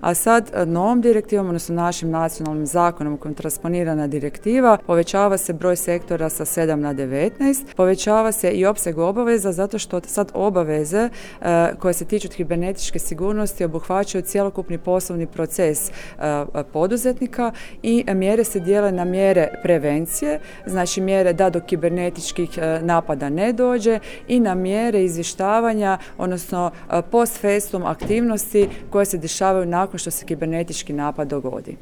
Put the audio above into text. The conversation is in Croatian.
A sad novom direktivom, odnosno našim nacionalnim zakonom u kojem transponirana direktiva, povećava se broj sektora sa 7 na 19, povećava se i opseg obaveza zato što sad obaveze koje se tiču kibernetičke sigurnosti obuhvaćaju cjelokupni poslovni proces poduzetnika i mjere se dijele na mjere prevencije, znači mjere da do kibernetičkih napada ne dođe i na mjere izvještavanja, odnosno post festum aktivnosti koje se dešavaju nakon što se kibernetički napad dogodi.